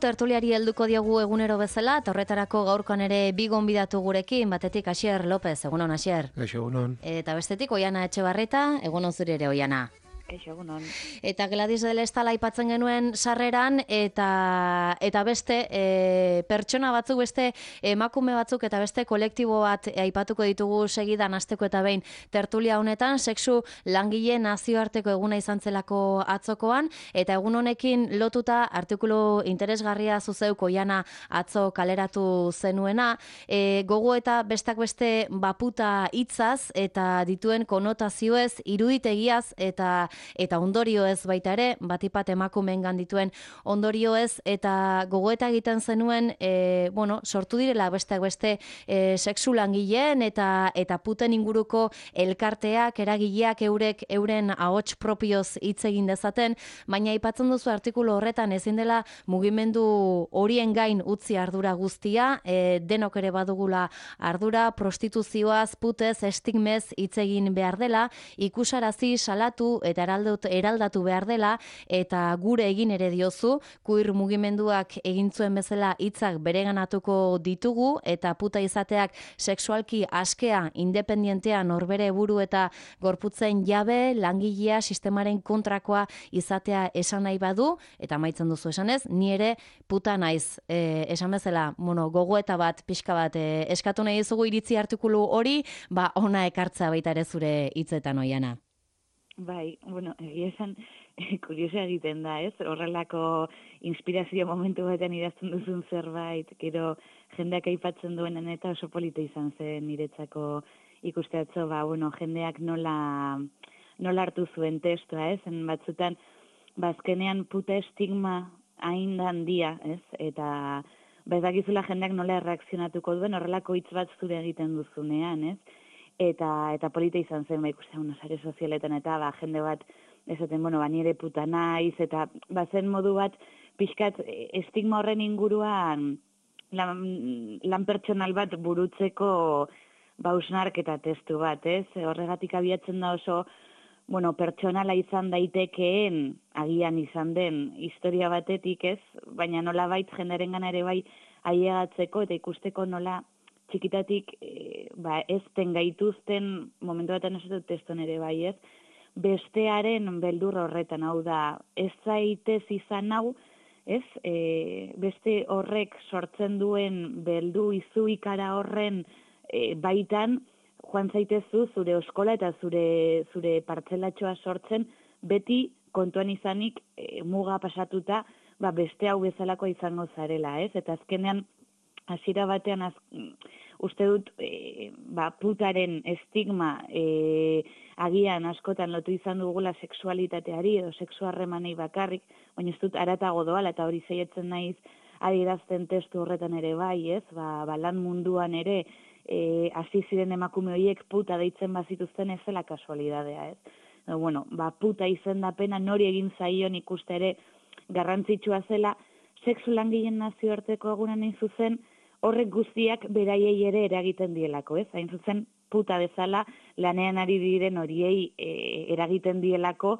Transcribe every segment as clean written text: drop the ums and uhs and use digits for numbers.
Tertuliari helduko diogu egunero bezala, eta horretarako gaurkoan ere bi gonbidatu gurekin, batetik Asier López, egunon Asier. Egunon. Eta bestetik Oiana Etxebarreta, egunon zuri ere Oiana. Egunon. Eta Gladys del Estal aipatzen genuen sarreran, eta beste pertsona batzuk, beste emakume batzuk eta beste kolektibo bat aipatuko ditugu segidan hasteko eta behin tertulia honetan, sexu langile nazioarteko eguna izan zelako atzokoan, eta egun honekin lotuta artikulu interesgarria zuzeuk Oiana atzo kaleratu zenuena, gogo eta bestak beste baputa hitzaz eta dituen konotazioez, iruditegiaz eta ondorio ez baita ere, batipat emakumeengan dituen ondorio ez, eta gogoeta egiten zenuen, sortu direla besteak beste sexu langileen eta puten inguruko elkarteak, eragileak euren ahots propioz hitz egin dezaten, baina aipatzen duzu artikulu horretan ezin dela mugimendu horien gain utzi ardura guztia, denok ere badugula ardura, prostituzioaz, putez, estigmez hitz egin behar dela, ikusarazi, salatu eta eraldatu behar dela, eta gure egin ere diozu, queer mugimenduak egin zuen bezala hitzak bereganatuko ditugu, eta puta izateak sexualki askea, independentea, norbere buru eta gorputzen jabe, langilea, sistemaren kontrakoa izatea esan nahi badu, eta amaitzen duzu esanez, ni ere puta naiz, esan bezala, gogoeta bat, pixka bat, eskatu nahi dizugu iritzi artikulu hori, ona ekartza baita ere zure hitzetan Oiana. Bai, egia esan, kuriosa egiten da, ez? Horrelako inspirazio momentu batean idazten duzun zerbait, gero jendeak aipatzen duenen eta oso polita izan zen niretzako ikusteatzo, jendeak nola hartu zuen testua, ez? Batzutan, azkenean puta estigma hain handia, ez? Eta ez dakizula jendeak nola erreakzionatuko duen horrelako hitz bat zure egiten duzunean, ez? Eta polita izan zen, ikusten, sare sozialetan, eta jende bat, esaten, nire puta naiz, eta zen modu bat, pixkat, estigma horren inguruan, lan pertsonal bat burutzeko bausnark eta testu bat, ez? Horregatik abiatzen da oso, pertsonala izan daitekeen, agian izan den, historia batetik, ez? Baina nola bait, jendearen ere bai, ailegatzeko eta ikusteko nola, txikitatik ezten gaituzten, momentu batean esatu teston ere bai ez, bestearen beldur horretan, hau da, ez zaitez izan hau, ez, beste horrek sortzen duen beldu izu ikara horren baitan, joan zaitezu zure oskola eta zure partzelatxoa sortzen, beti kontuan izanik muga pasatuta, beste hau bezalako izango zarela, ez, eta azkenean, hasiera batean uste dut putaren estigma agian askotan lotu izan dugula sexualitateari edo sexu harremanei bakarrik, baina ez dut haratago doala eta hori zeietzen naiz adierazten testu horretan ere bai, ez? Lan munduan ere hasi ziren emakume horiek puta deitzen bazituzten ez zela kasualidadea, ez? Puta izendapena nori egin zaion ikuste ere garrantzitsua zela, sexu langileen nazioarteko egunan hain zuzen, horrek guztiak beraiei ere eragiten dielako, ez? Hain zuzen, puta bezala lanean ari diren horiei eragiten dielako,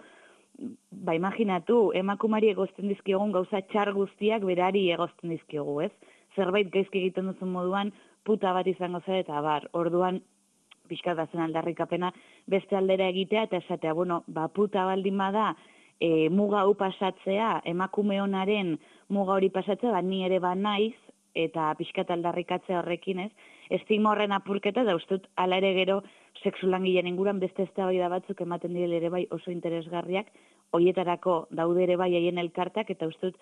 imaginatu, emakumari egozten dizkiogun gauza txar guztiak berari egozten dizkiogu, ez? Zerbait gaizki egiten duzun moduan, puta bat izango zara eta orduan, pixka da zen aldarrikapena, beste aldera egitea eta esatea, puta baldin bada, muga hau pasatzea, emakume honaren muga hori pasatzea, ni ere naiz, eta pixkat aldarrikatzea horrekin, ez? Estigma horren apurketa, da ustut, ala ere gero, sexu langileen inguruan beste eztabaida batzuk ematen direla ere bai oso interesgarriak, hoietarako daude ere bai haien elkartak, eta ustut,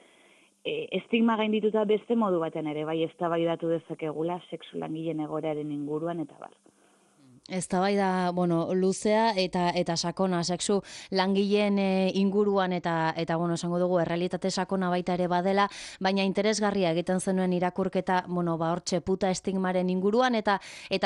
estigma gaindituta beste modu batean ere bai eztabaidatu dezakegula sexu langileen egoeraren inguruan, eta bar. Eztabaida, luzea eta sakona, sexu langileen inguruan eta esango dugu, errealitate sakona baita ere badela, baina interesgarria egiten zenuen irakurketa, hortxe puta estigmaren inguruan, eta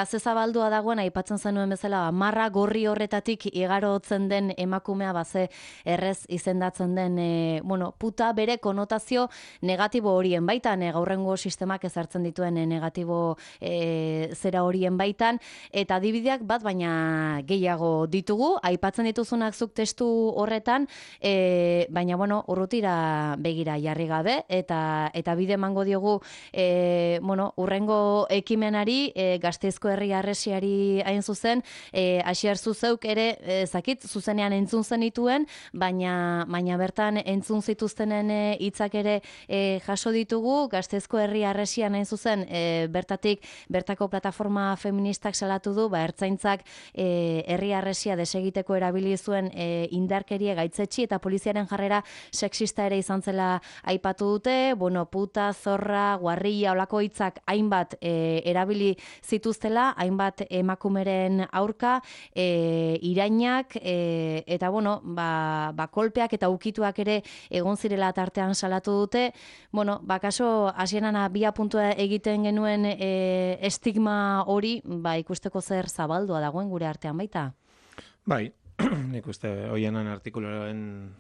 zezabaldua dagoen, aipatzen zenuen bezala, marra gorri horretatik igarotzen den emakumea, ze errez izendatzen den, puta bere konotazio negatibo horien baitan, gaurrengo sistemak ezartzen dituen negatibo zera horien baitan, eta adibidea guztiak bat baina gehiago ditugu, aipatzen dituzunak zuk testu horretan, baina bueno, urrutira begira jarri gabe, eta bide emango diogu urrengo ekimenari, Gasteizko herri harresiari hain zuzen, Asier zuzeuk ere, zakit, zuzenean entzun zenituen, baina bertan entzun zituztenen hitzak ere jaso ditugu, Gasteizko herri harresian hain zuzen, bertako plataforma feministak salatu du, ertzaintzak herri harresia desegiteko erabili zuen indarkeria gaitzetsi eta poliziaren jarrera sexista ere izan zela aipatu dute, puta, zorra, guarrilla, olako hitzak hainbat erabili zituztela, hainbat emakumeren aurka, irainak, eta kolpeak eta ukituak ere egon zirela tartean salatu dute. Kaso, hasieran abia puntua egiten genuen estigma hori, ikusteko zer zabaldua dagoen gure artean baita? Bai, nik uste hoienan artikuloaren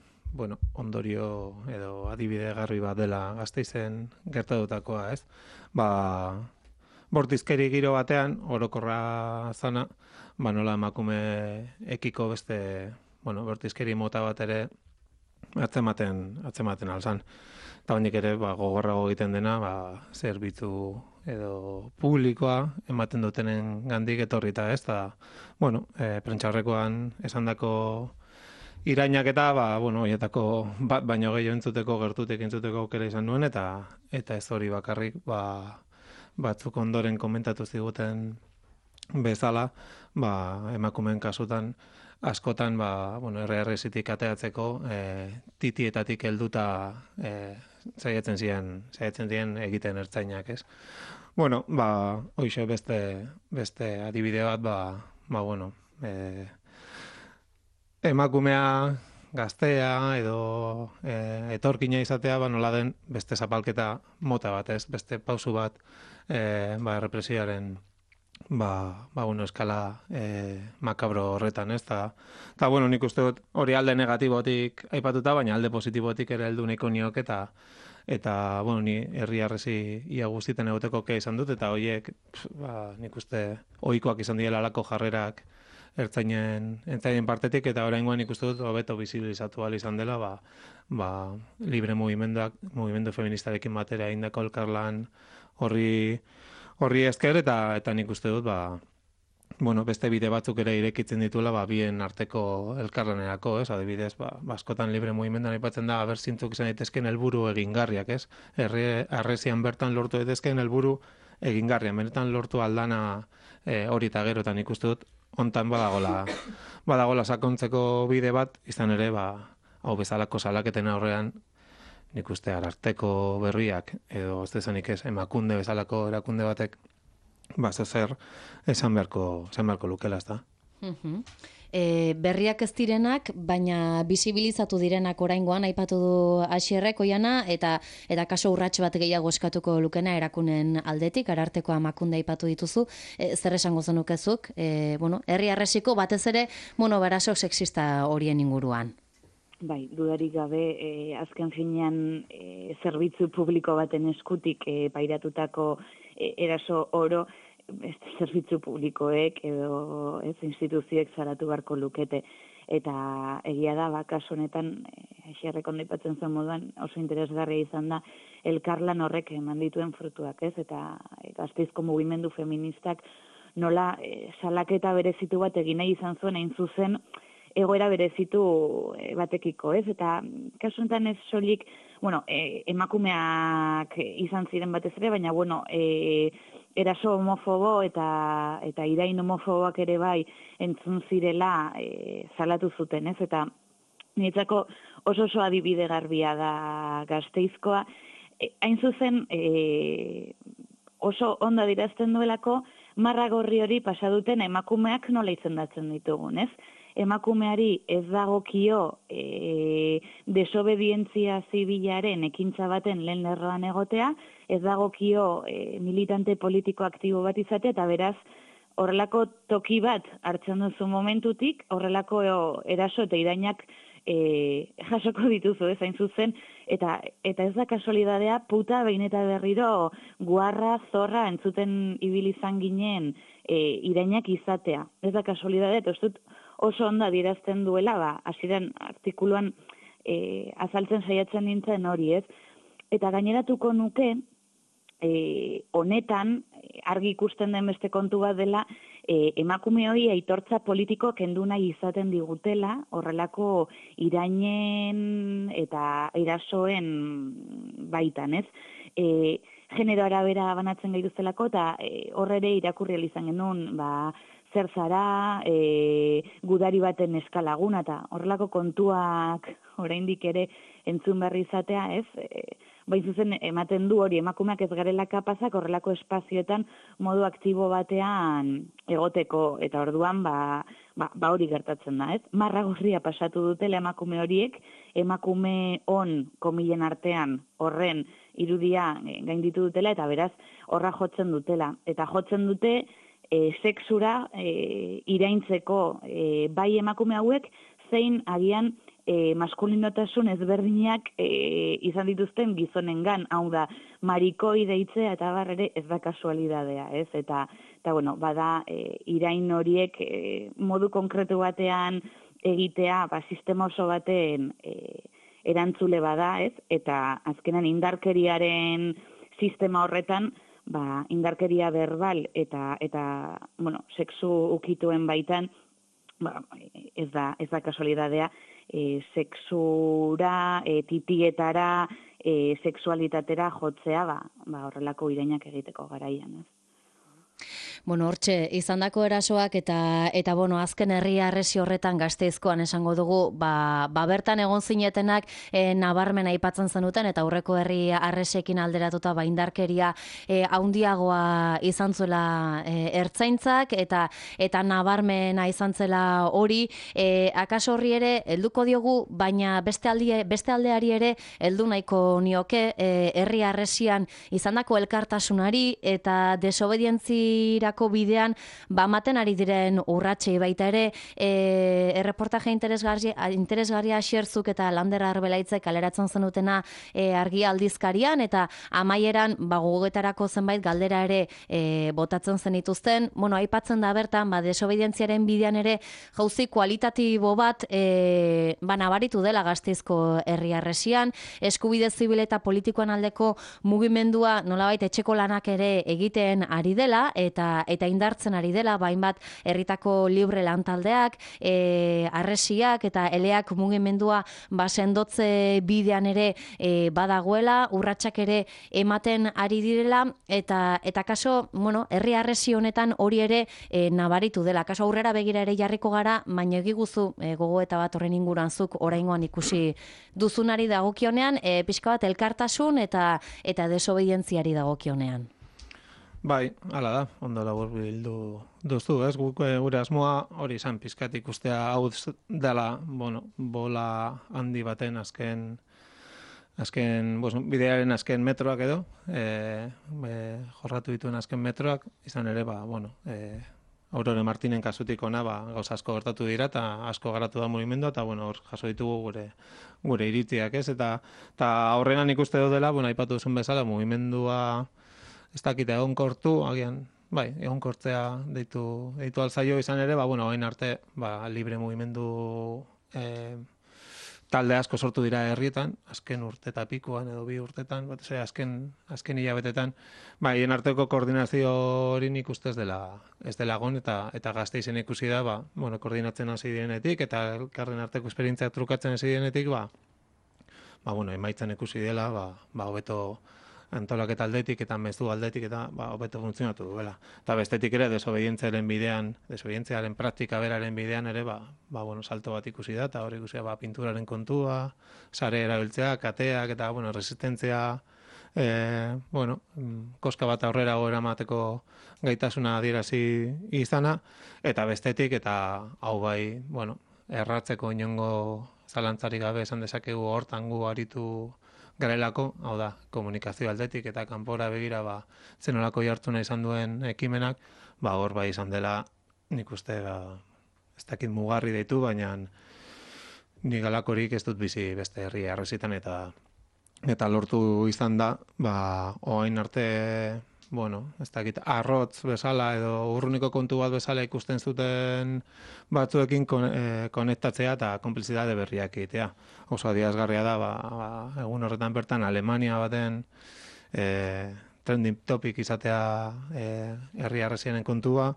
ondorio edo adibide garbi bat dela Gasteizen gertatutakoa, ez? Bortizkeri giro batean, orokorra zana, nola emakume ekiko beste, bortizkeri mota bat ere atzematen alzan. Eta honik ere, gogorrago egiten dena, zerbitzu edo publikoa ematen dutenen gandik etorrita, ez? Eta, prentxaurrekoan esandako irainak eta, horietako bat baino gehiago entzuteko, gertutik entzuteko aukera izan nuen, eta ez hori bakarrik, batzuk ondoren komentatu ziguten bezala, emakumeen kasutan, askotan, RRS-itik ateatzeko, titietatik helduta saiatzen ziren egiten ertzainak, ez? Hoxe beste adibide bat, emakumea, gaztea edo etorkina izatea, nola den beste zapalketa mota bat, ez? Beste pausu bat, represioaren eskala makabro horretan, ez? Eta, nik uste dut hori alde negatibotik aipatuta, baina alde positibotik ere heldu nahiko niok, eta ni herri harresi ia guztiten egoteko kea izan dut, eta horiek, nik uste ohikoak izan direla alako jarrerak ertzainen partetik, eta oraingoan nik uste dut hobeto bizibilizatu ahal izan dela, libre mugimendu feministarekin batera indako elkarlan horri esker, eta nik uste dut, beste bide batzuk ere irekitzen dituela, bien arteko elkarlanerako, ez? Adibidez, askotan libre mugimenduan aipatzen da, zintzuk izan daitezkeen helburu egingarriak, ez? Harresian bertan lortu daitezkeen helburu egingarrian, benetan lortu aldana hori eta gero, eta nik uste dut, hontan badagola sakontzeko bide bat, izan ere, hau bezalako salaketen aurrean, nik uste Ararteko berriak, edo ez dezanik ez, Emakunde bezalako erakunde batek, zer esan beharko lukela, ez da. Berriak ez direnak, baina bisibilizatu direnak oraingoan aipatu du Asierrek Oiana, eta kaso urrats bat gehiago eskatuko lukena erakunen aldetik, Ararteko Emakunde aipatu dituzu, zer esango zenukezuk, herri harresiko batez ere, beraso sexista horien inguruan. Bai, dudarik gabe, azken finean zerbitzu publiko baten eskutik pairatutako eraso oro, zerbitzu publikoek edo instituzioek zaratu beharko lukete. Eta egia da, kasu honetan, Asierrek ondo aipatzen zuen moduan, oso interesgarria izan da, elkarlan horrek eman dituen frutuak, ez? Eta Gasteizko mugimendu feministak nola salaketa berezitu bat egin nahi izan zuen, hain zuzen, egoera berezitu batekiko, ez? Eta kasu honetan ez soilik, emakumeak izan ziren batez ere, baina, eraso homofobo eta irain homofoboak ere bai entzun zirela salatu zuten, ez? Eta niretzako oso adibide garbia da Gasteizkoa. Hain zuzen, oso ondo adierazten duelako, marra gorri hori pasa duten emakumeak nola izendatzen ditugun, ez? Emakumeari ez dagokio desobedientzia zibilaren ekintza baten lehen lerroan egotea, ez dagokio militante politiko aktibo bat izatea, eta beraz, horrelako toki bat hartzen duzu momentutik, horrelako eraso eta irainak jasoko dituzu, ez hain zuzen, Eta ez da kasualidadea, puta behin eta berriro guarra, zorra entzuten ibili izan ginen irainak izatea. Ez da kasualidadea, eta ez dut oso ondo adierazten duela, hasieran artikuluan azaltzen saiatzen nintzen hori, ez? Eta gaineratuko nuke, honetan, argi ikusten den beste kontu bat dela, emakume hori aitortza politiko kendu nahi izaten digutela, horrelako irainen eta erasoen baitan, ez? Genero arabera banatzen gaituztelako, eta horre ere irakurri izan genuen, zer zara, gudari baten eskalaguna, eta horrelako kontuak oraindik ere entzun berri izatea, ez? Bain zuzen ematen du hori emakumeak ez garela kapazak horrelako espazioetan modu aktibo batean egoteko, eta orduan hori gertatzen da, ez? Marra gorria pasatu dutela emakume horiek, emakume on komilen artean horren irudia gainditu dutela, eta beraz horra jotzen dutela. Eta jotzen dute sexura iraintzeko bai emakume hauek, zein agian maskulinotasun ezberdinak izan dituzten gizonengan, hau da, marikoi deitzea eta ere ez da kasualidadea, ez? Eta bueno, bada irain horiek modu konkretu batean egitea, sistema oso baten erantzule bada, ez? Eta azkenan indarkeriaren sistema horretan, indarkeria verbal eta bueno, sexu ukituen baitan, ez da kasualidadea, sexura, titietara, sexualitatera jotzea, horrelako irainak egiteko garaian, ez? Bueno, hortxe, izandako erasoak eta bueno, azken herri harresi horretan Gasteizkoan esango dugu, bertan egon zinetenak nabarmen aipatzen zenuten, eta aurreko herri harresiekin alderatuta indarkeria haundiagoa izan zuela ertzaintzak, eta nabarmena izan zela hori, akaso horri ere helduko diogu, baina beste aldeari ere heldu nahiko nioke herri harresian izandako elkartasunari eta desobedientzirako bidean ematen ari diren urratsei baita ere, erreportaje interesgarria xerzuk eta Lander Arbelaitzek kaleratzen zenutena argi aldizkarian, eta amaieran gogoetarako zenbait galdera ere botatzen zenituzten. Bueno, aipatzen da bertan, desobedientziaren bidean ere jauzi kualitatibo bat nabaritu dela Gasteizko herri harresian, eskubide zibil eta politikoan aldeko mugimendua nolabait etxeko lanak ere egiten ari dela, eta indartzen ari dela, hainbat herritako libre lantaldeak, harresiak eta eleak mugimendua sendotze bidean ere badagoela, urratsak ere ematen ari direla, eta kaso, bueno, herri harresi honetan hori ere nabaritu dela. Kaso aurrera begira ere jarriko gara, baina egiguzu gogoeta bat horren inguruan zuk oraingoan ikusi duzunari dagokionean, pixka bat elkartasun eta desobedientziari dagokionean. Bai, hala da, ondo laburbildu duzu, ez? Gure asmoa hori izan pizkat ikustea hau dela, bueno, bola handi baten azken bidearen azken metroak edo, jorratu dituen azken metroak, izan ere, Aurore Martinen kasutik ona, gauza asko gertatu dira, eta asko garatu da mugimendua, eta hor jaso ditugu gure iritziak, ez? Eta horrenan ikuste dela, aipatu duzun bezala, mugimendua ez dakit egonkortu, agian, egonkortzea deitu alzaio izan ere, hain arte, libre mugimendu talde asko sortu dira herrietan, azken urte eta pikoan edo 2 urtetan, azken hilabetetan, hien arteko koordinazio hori nik uste ez dela egon, eta Gasteizen ikusi da, koordinatzen hasi direnetik, eta elkarren arteko esperientziak trukatzen hasi direnetik, emaitzan ikusi dela, hobeto antolaketa aldetik eta mezu aldetik eta hobeto funtzionatu duela. Eta bestetik ere desobedientziaren bidean, desobedientziaren praktika beraren bidean ere, salto bat ikusi da, eta hori ikusi da, pinturaren kontua, sare erabiltzea, kateak eta, resistentzia, koska bat aurrera eramateko gaitasuna adierazi izana, eta bestetik, eta hau erratzeko inongo zalantzarik gabe esan dezakegu hortan gu aritu garelako, hau da, komunikazio aldetik eta kanpora begira zenolako jartzuna izan duen ekimenak, hor izan dela, nik uste, ez dakit mugarri deitu, baina nik alakorik ez dut bizi beste herri harresitan, eta eta lortu izan da, orain arte, ez dakit, arrotz bezala edo urruniko kontu bat bezala ikusten zuten batzuekin konektatzea eta konplizidade berriak egitea. Oso adierazgarria da, egun horretan bertan Alemania baten trending topic izatea herri harresienen kontua,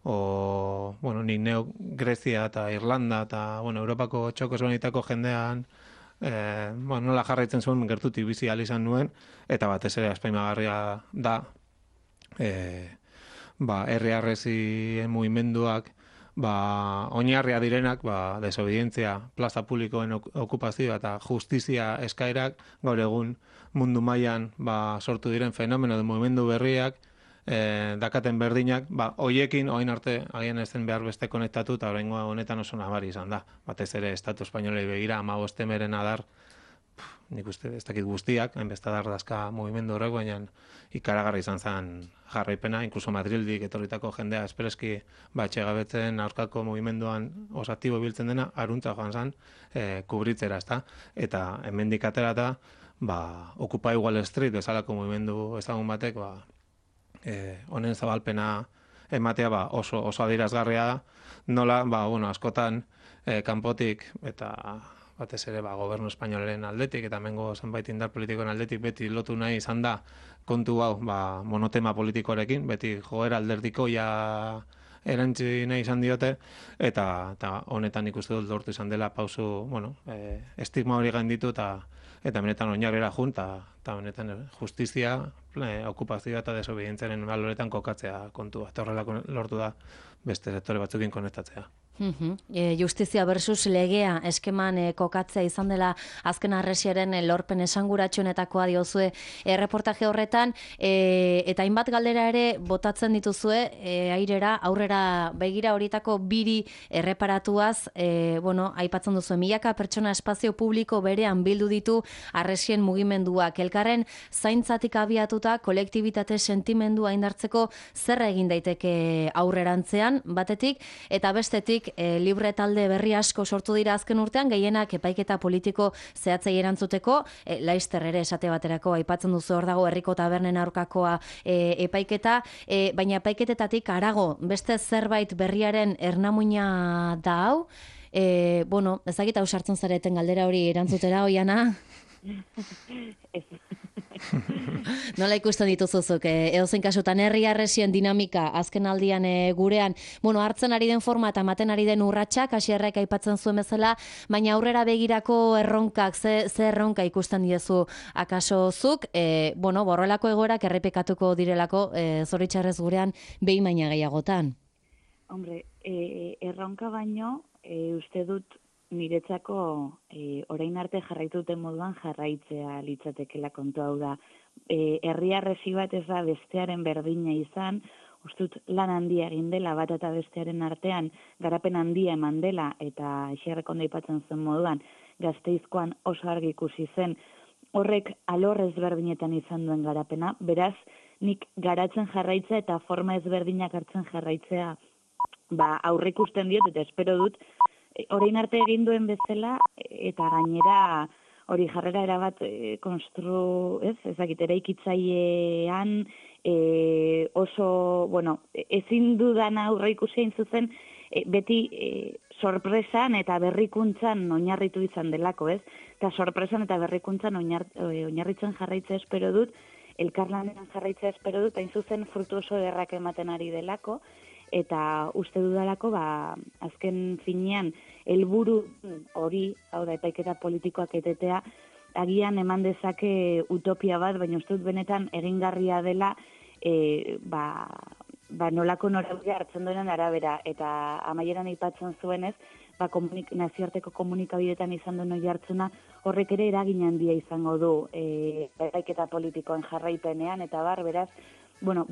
nik neu Grezia eta Irlanda eta, Europako txoko zuenitako jendean nola jarraitzen zuen gertutik bizi ahal izan nuen, eta batez ere azpimagarria da herri harresien mugimenduak oinarria direnak, desobedientzia, plaza publikoen okupazioa eta justizia eskaerak gaur egun mundu mailan sortu diren fenomeno de mugimendu berriak dakaten berdinak, hoiekin orain arte agian ez den behar beste konektatu eta oraingo honetan oso nabari izan da. Batez ere Estatu Espainolei begira 15 meren adar, nik uste ez dakit guztiak, hainbeste adar dazka mugimendu horrek, baina ikaragarri izan zen jarraipena, inkluso Madrildik etorritako jendea espreski etxegabetzen aurkako mugimenduan oso aktibo biltzen dena, aruntza joan zen kubritzera, ezta? Eta hemendik aterata, Occupy Wall Street bezalako mugimendu ezagun batek, honen zabalpena ematea oso adierazgarria da, nola, askotan kanpotik eta batez ere gobernu espainolaren aldetik eta hemengo zenbait indar politikoen aldetik beti lotu nahi izan da kontu hau monotema politikoarekin, beti joera alderdikoia erantzi nahi izan diote, eta honetan ikuste dut lortu izan dela pausu, estigma hori gainditu eta benetan oinarrera jun, eta benetan justizia, okupazioa eta desobedientziaren baloretan kokatzea kontua. Eta horrela lortu da beste sektore batzukin konektatzea. Justizia versus legea eskeman kokatzea izan dela azken harresiaren lorpen esanguratsuenetakoa diozue reportaje horretan, eta hainbat galdera ere botatzen dituzue airera, aurrera begira horietako biri erreparatuaz, aipatzen duzu, milaka pertsona espazio publiko berean bildu ditu harresien mugimenduak. Elkarren zaintzatik abiatuta kolektibitate sentimendua indartzeko zer egin daiteke aurrerantzean batetik, eta bestetik libre talde berri asko sortu dira azken urtean, gehienak epaiketa politiko zehatzei erantzuteko, Laister ere esate baterako aipatzen duzu, hor dago herriko tabernen aurkakoa epaiketa, baina epaiketetatik harago beste zerbait berriaren ernamuina da hau, ezagita hau sartzen zareten galdera hori erantzutera, Oiana? Nola ikusten dituzuzuk, edozein kasutan herri harresien dinamika azken aldian gurean, hartzen ari den forma eta ematen ari den urratsak, Asierrek aipatzen zuen bezala, baina aurrera begirako erronkak, ze erronka ikusten diezu akaso zuk, borrelako egoerak errepikatuko direlako zoritxarrez gurean behin baina gehiagotan. Hombre, erronka baino, uste dut niretzako orain arte jarraitu duten moduan jarraitzea litzatekela kontu hau da. Herri harresi bat ez da bestearen berdina izan, ustut lan handia egin dela bat eta bestearen artean, garapen handia eman dela, eta Asierrek ondo aipatzen zen moduan, Gasteizkoan oso argi ikusi zen, horrek alor ezberdinetan izan duen garapena, beraz, nik garatzen jarraitzea eta forma ezberdinak hartzen jarraitzea aurre ikusten diot, eta espero dut, orain arte egin duen bezala, eta gainera hori jarrera erabat eraikitzailean oso, ezin dudan aurre ikusi hain zuzen, beti sorpresan eta berrikuntzan oinarritu izan delako, ez? Eta sorpresan eta berrikuntzan oinarritzen jarraitzea espero dut, elkarlanean jarraitzea espero dut, hain zuzen frutu oso ederrak ematen ari delako, eta uste dudalako, azken finean, helburu hori, hau da, epaiketa politikoak etetea, agian eman dezake utopia bat, baina uste dut benetan egingarria dela, nolako norabidea hartzen duenen arabera, eta amaieran aipatzen zuenez, nazioarteko komunikabideetan izan duen oihartzuna, horrek ere eragin handia izango du epaiketa politikoen jarraipenean, eta beraz,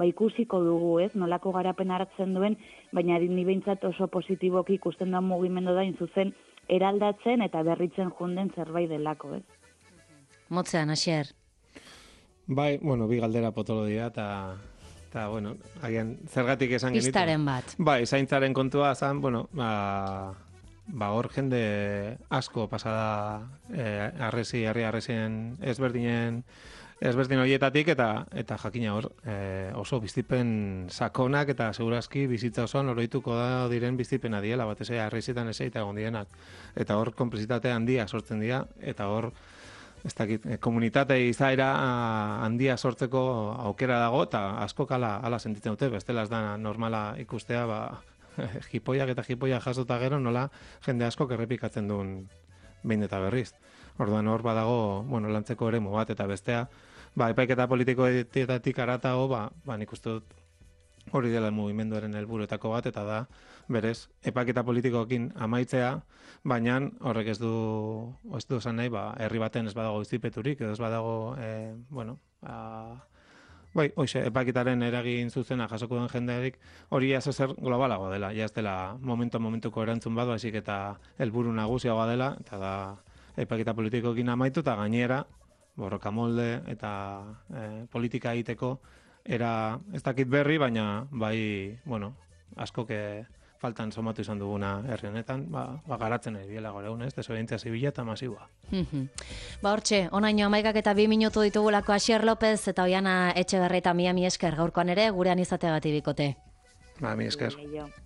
ikusiko dugu, ez, nolako garapen hartzen duen, baina ni behintzat oso positiboki ikusten duen mugimendu da, zuzen eraldatzen eta berritzen junden zerbait delako, ez? Motzean, Asier. Bai, bi galdera potolo dira, eta agian, zergatik esan genitu. Pistaren bat. Bai, zaintzaren kontua zan, hor jende asko pasada herri arresien ezberdin horietatik eta jakina hor oso bizipen sakonak eta segurazki bizitza osoan oroituko da diren bizipena diela, batez ere arresietan eseita egon dienak. Eta hor konplizitate handia sortzen dira eta hor ez dakit, komunitate izaera handia sortzeko aukera dago eta asko hala sentitzen dute, bestela ez da normala ikustea, jipoiak eta jipoiak jasota gero nola jende asko errepikatzen duen behin eta berriz. Orduan hor badago, lantzeko eremu bat eta bestea, epaiketa politikoetatik aratago, nik uste dut hori dela mugimenduaren helburuetako bat eta da berez epaiketa politikoekin amaitzea, baina horrek ez du esan nahi, herri baten ez badago izipeturik, edo ez badago, epaiketaren eragin zuzena jasoko den jenderik, hori zer globalago dela, ez dela momentuko erantzun bat, baizik eta helburu nagusiagoa dela, eta da epaiketa politikoekin amaitu, eta gainera, borroka molde eta politika egiteko, era ez dakit berri, baina askok faltan somatu izan duguna herri honetan, garatzen ari biela gore egun, desobedientzia zibila eta masiboa. Hortxe, onaino 11 eta 2 minutu ditugulako Asier López eta Oiana Etxeberri eta mi esker gaurkoan ere gurean izateagatik bikote. Mi esker.